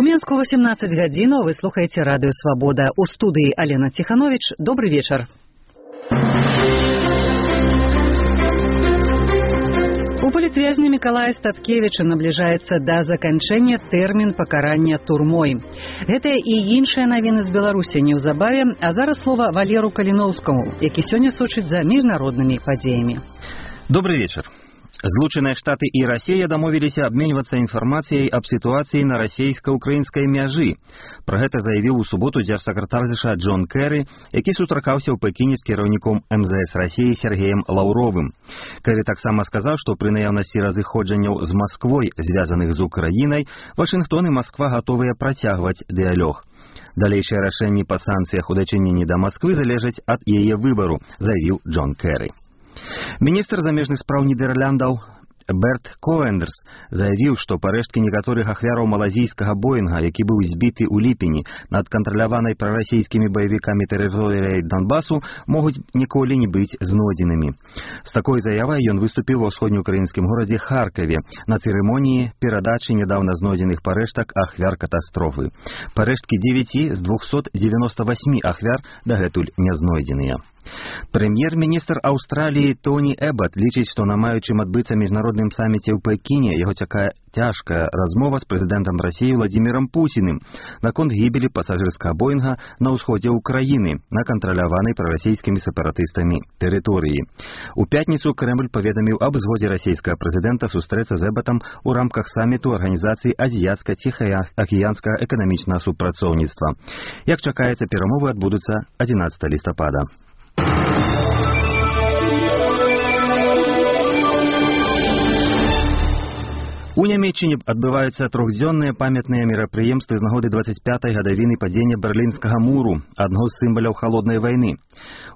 У Менску 18 гадзінаў, вы слухаеце радыё «Свабода». У студыі Алена Тиханович. Добрый вечар. У палітвязня Мікалая Статкевіча набліжаецца да заканчэння тэрмін пакарання турмой. Гэтая і іншыя навіны з Беларусі неўзабаве, а зараз слова Валеру Каліноўскаму, які сёння сочыць за міжнароднымі падзеямі. Добрый вечер. Злучаныя Штаты і Расія дамовіліся абменьвацца інфармацыяй аб сітуацыі на расійска-украінскай мяжы. Пра гэта заявіў у суботу дзяржсакратар ЗША Джон Кэры, які сустракаўся ў Пекіне з кіраўніком МЗС Расіі Сергеем Лаўровым. Кэры таксама сказаў, што пры наяўнасці разыходжанняў з Масквой, звязаных з Украінай, Вашынгтон і Масква гатовыя працягваць дыялог. Далейшыя рашэнні па санкцыях у дачыненні да Масквы залежаць ад яе выбару, заявіў Джон Кэры. Міністр замежных спраў Нідерландаў Берт Коэндерс заявіў, што парэшткі некаторых ахвяраў малазійскага Боінга, які быў збіты ў ліпені над кантраляванай прарасійскімі баевікамі тэрыторыяй Донбасу, могуць ніколі не быць знойдзенымі. З такой заявай ён выступіў ва ўсходнеукраінскім горадзе Харкаве на цырымоніі перадачы нядаўна знойдзеных парэштак ахвяр катастрофы. Парэшткі 9 з 298 ахвяр дагэтуль не знойдзеныя. Прэм'ер-міністр Аўстраліі Тоні Эбат лічыць, што на маючым адбыцца міжнародным саміце ў Пекіне яго чакае цяжкая размова з прэзідэнтам Расіі Владзімірам Пуціным наконт гібелі пасажырскага Боінга на ўсходзе ўкраіны на кантраляванай прарасійскімі сепаратыстамі тэрыторыі. У пятніцу Крэмль паведаміў аб згодзе расійскага прэзідэнта сустрэцца з Эбатам у рамках саміту Арганізацыі азіяцка-ціхаакіянскага эканамічнага супрацоўніцтва. Як чакаецца, перамовы адбудуцца 11 лістапада. У Нямецчыне адбываюцца трохдзённыя памятныя мерапрыемствы з нагоды 25-й гадавіны падзення Берлінскага муру, адно з сімваляў халоднай вайны.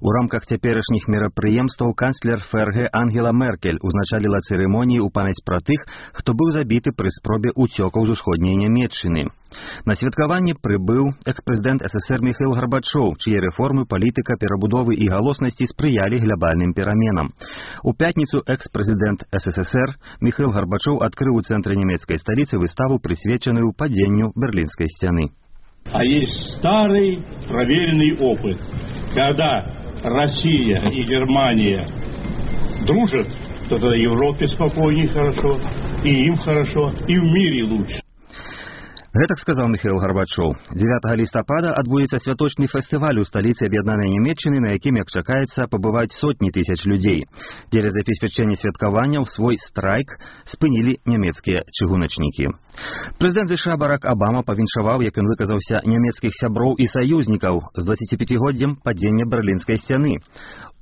У рамках цяперашніх мерапрыемстваў канцлер ФРГ Ангела Меркель узначаліла цырымоніі ў памяць пра тых, хто быў забіты пры спробе ўцёкаў з усходняй Нямецчыны. На святкаванне прыбыў экс-прэзідэнт СССР Міхаіл Гарбачоў, чые рэформы, палітыка, перабудовы і галоснасці спрыялі глобальным пераменам. У пятніцу экс-прэзідэнт СССР Міхаіл Гарбачоў адкрыў у цэнтры нямецкай сталіцы выставу, прысвечаную падзенню Берлінскай сцяны. А есть старый проверенный опыт, когда Россия и Германия дружат, то тогда Европе спокойнее хорошо, и им хорошо, и в мире лучше. Гэтак сказаў Міхаіл Гарбачоў. 9 лістапада адбудзецца святочны фестываль у сталіцы аб'яднанай Нямецчыны, на якім, як чакаецца, пабываюць сотні тысяч людзей. Дзеля забеспячэння святкаванняў свой страйк спынілі нямецкія чыгуначнікі. Прэзідэнт ЗША Барак Абама павіншаваў, як ён выказаўся, нямецкіх сяброў і саюзнікаў з 25-годдзем падзення Берлінскай сцяны.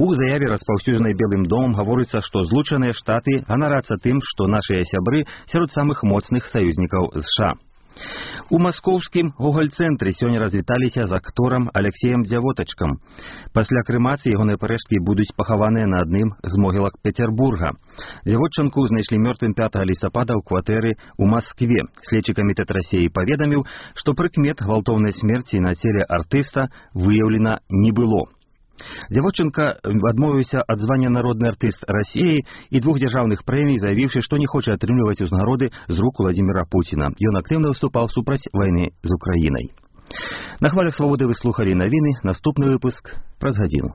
У заяве, распаўсюджанай Белым домам, гаворыцца, што Злучаныя Штаты ганарацца тым, што нашыя сябры сярод самых моцных саюзнікаў США. У маскоўскім Гоголь-цэнтры сёння развіталіся з акторам Алексеем Дзявотачкам. Пасля крэмацыі ягоныя парэшткі будуць пахаваныя на адным з могілак Петербурга. Дзявотчанку знайшлі мёртвым 5 лістапада ў кватэры ў Маскве. Следчы камітэт Расіі паведаміў, што прыкмет гвалтоўнай смерці на целе артыста выяўлена не было. Дзявотчанка адмовіўся ад звання народны артыст Расіі і 2 дзяржаўных прэмій, заявіўшы, што не хоча атрымліваць узнагароды з рук Владзіміра Пуціна. Ён актыўна выступаў супраць вайны з Украінай. На хвалях Свабоды вы слухалі навіны. Наступны выпуск праз гадзіну.